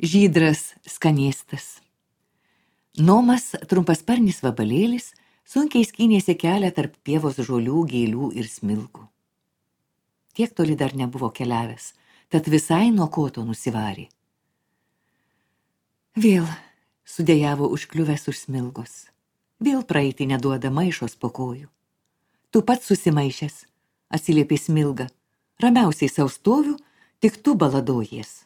Žydras skanėstas. Nomas, trumpasparnis vabalėlis, sunkiai skynėsi kelią tarp pievos žolių, gėlių ir smilgų. Tiek toli dar nebuvo keliavęs, tad visai nuo koto nusivarė. Vėl sudėjavo užkliuvęs už smilgos. Vėl praeiti neduoda maišos po kojų. Tu pats susimaišęs, atsiliepė smilga. Ramiausiai sau stoviu, tik tu baladojies.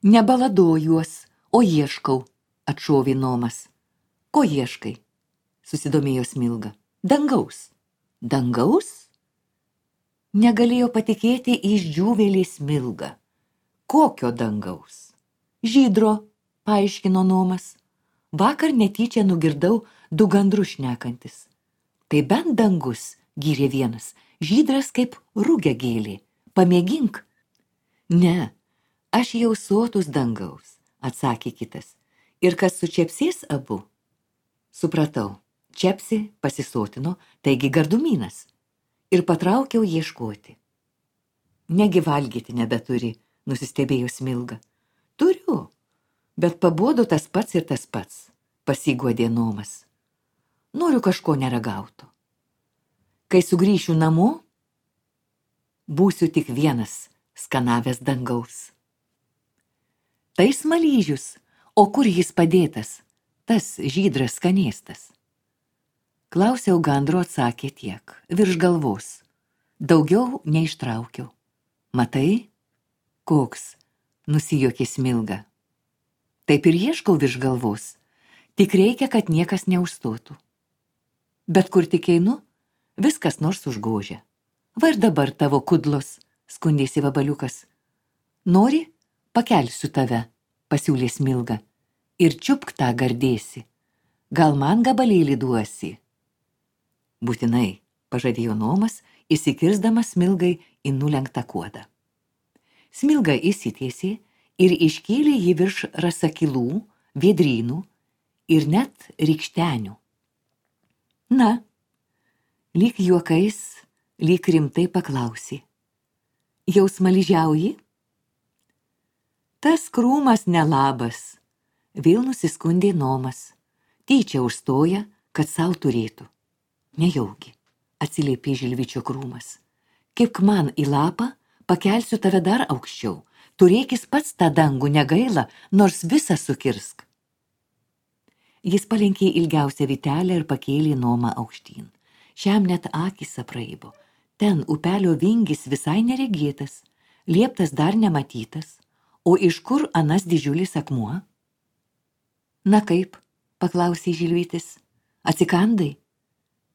Nebaladojuos, o ieškau, atšovė Nomas. Ko ieškai? Susidomėjo smilga. Dangaus. Dangaus? Negalėjo patikėti išdžiūvėlė smilga. Kokio dangaus? Žydro, paaiškino Nomas. Vakar netyčia nugirdau du gandrus šnekantis. Tai bent dangus, gyrė vienas, žydras kaip rugiagėlė. Pamėgink. Ne, aš jau sotus dangaus, atsakė kitas. Ir kas sučepsės abu? Supratau, čepsi pasisotino, taigi gardumynas. Ir patraukiau ieškoti. Negi valgyti nebeturi, nusistebėjo smilga. Turiu, bet pabodo tas pats ir tas pats, pasiguodė Nomas. Noriu kažko neragauto. Kai sugrįšiu namo, būsiu tik vienas skanavęs dangaus. Tai smaližius, o kur jis padėtas, tas žydras skanėstas? Klausiau gandro, atsakė tiek, virš galvos. Daugiau neištraukiau. Matai? Koks? Nusijuokė smilga. Taip ir ieškau virš galvos. Tik reikia, kad niekas neužstotų. Bet kur tik einu, viskas nors užgožia. Va ir dabar tavo kudlos, skundėsi vabaliukas. Nori? Pakelsiu tave, pasiūlė smilga. Ir čiupk tą gardėsi. Gal man gabalėlį duosi? Būtinai, pažadėjo Nomas, įsikirsdamas smilgai į nulenktą kuodą. Smilga įsitiesė ir iškėlė jį virš rasakilų, vėdrynų ir net rykštenių. Na, lyg juokais, lyg rimtai paklausė. Jau smaližiauji? Tas krūmas nelabas, vėl nusiskundė Nomas. Tyčia užstoja, kad sau turėtų. Nejaugi, atsiliepė žilvičio krūmas. Kibk man į lapą, pakelsiu tave dar aukščiau. Turėkis pats tą dangų negaila, nors visą sukirsk. Jis palenkė ilgiausią vytelę ir pakėlė Nomą aukštyn. Šiam net akys apraibo. Ten upelio vingis visai neregėtas, lieptas dar nematytas. O iš kur anas didžiulis akmuo? Na kaip, paklausė žilvytis. Atsikandai?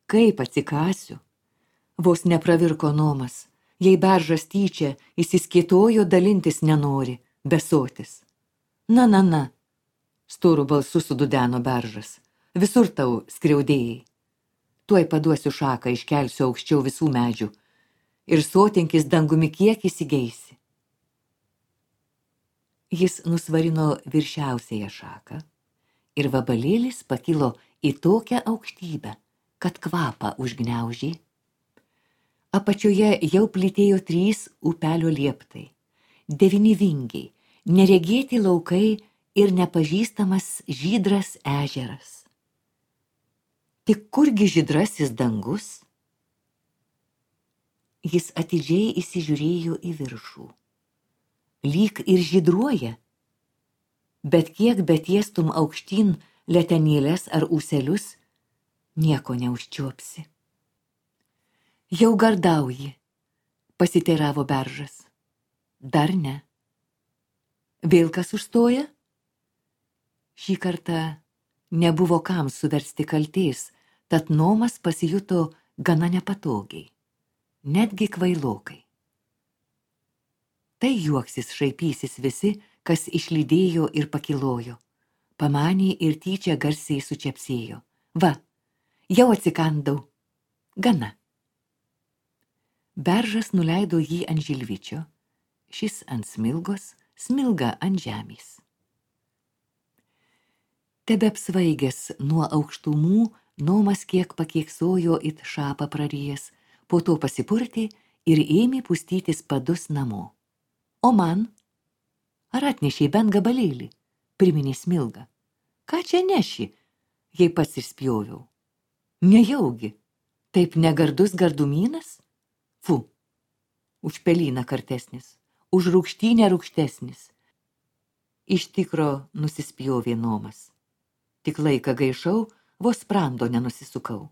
Kaip atsikasiu? Vos nepravirko Nomas. Jei beržas tyčia įsiskėtojo, dalintis nenori, besotis. Na, storu balsu sududeno beržas. Visur tau skriaudėjai. Tuoj paduosiu šaką, iškelsiu aukščiau visų medžių. Ir sotinkis dangumi kiek įsigeisi. Jis nusvarino viršiausiąją šaką ir vabalėlis pakilo į tokią aukštybę, kad kvapą užgniaužė. Apačioje jau plytėjo 3 upelio lieptai, 9 vingiai, neregėti laukai ir nepažįstamas žydras ežeras. Tik kurgi žydrasis dangus? Jis atidžiai įsižiūrėjo į viršų. Lyg ir žydruoja, bet kiek betiestum aukštyn letenėlės ar ūselius, nieko neužčiuopsi. Jau gardauji, pasiteiravo beržas. Dar ne. Vėl kas užstoja? Šį kartą nebuvo kam suversti kaltės, tad Nomas pasijuto gana nepatogiai, netgi kvailokai. Tai juoksis šaipysis visi, kas išlydėjo ir pakilojo. Pamanė ir tyčia garsiai sučepsėjo. Va, jau atsikandau. Gana. Beržas nuleido jį ant žilvičio, šis ant smilgos, smilga ant žemės. Tebepsvaigęs nuo aukštumų, Nomas kiek pakieksojo it šapą prarijęs, po to pasipurtė ir ėmė pustytis padus namo. O man? Ar atnešiai bent gabalėlį? Priminė Smilga. Ką čia neši, jei pats išspjoviau? Nejaugi, taip negardus gardumynas? Fu, už pelyną kartesnis, už rūgštynę rūgštesnis. Iš tikro nusispjovė Nomas. Tik laiką gaišau, vos sprando nenusisukau.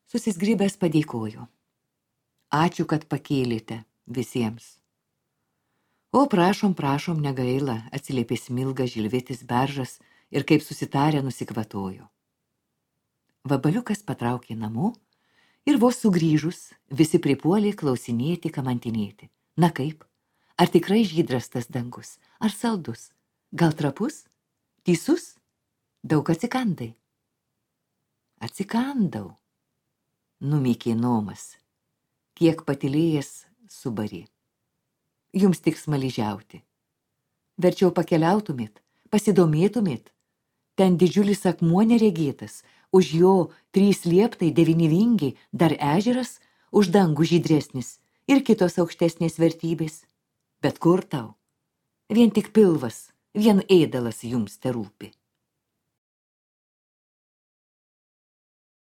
Susisgribęs padėkojo. Ačiū, kad pakėlėte visiems. O prašom, negaila, atsiliepė Smilga, Žilvitis, Beržas ir kaip susitarę nusikvatojo. Vabaliukas patraukė namo ir vos sugrįžus visi pripuolė klausinėti, kamantinėti. Na kaip? Ar tikrai žydras tas dangus? Ar saldus? Gal trapus? Teisus? Daug atsikandai? Atsikandau, numykė Nomas. Kiek patylėjęs subarė. Jums tik smaližiauti. Verčiau pakeliautumėt, pasidomėtumėt. Ten didžiulis akmuo neregėtas, už jo 3 lieptai, 9 vingiai, dar ežeras, už dangų žydresnis ir kitos aukštesnės vertybės. Bet kur tau? Vien tik pilvas, vien ėdalas jums terūpi.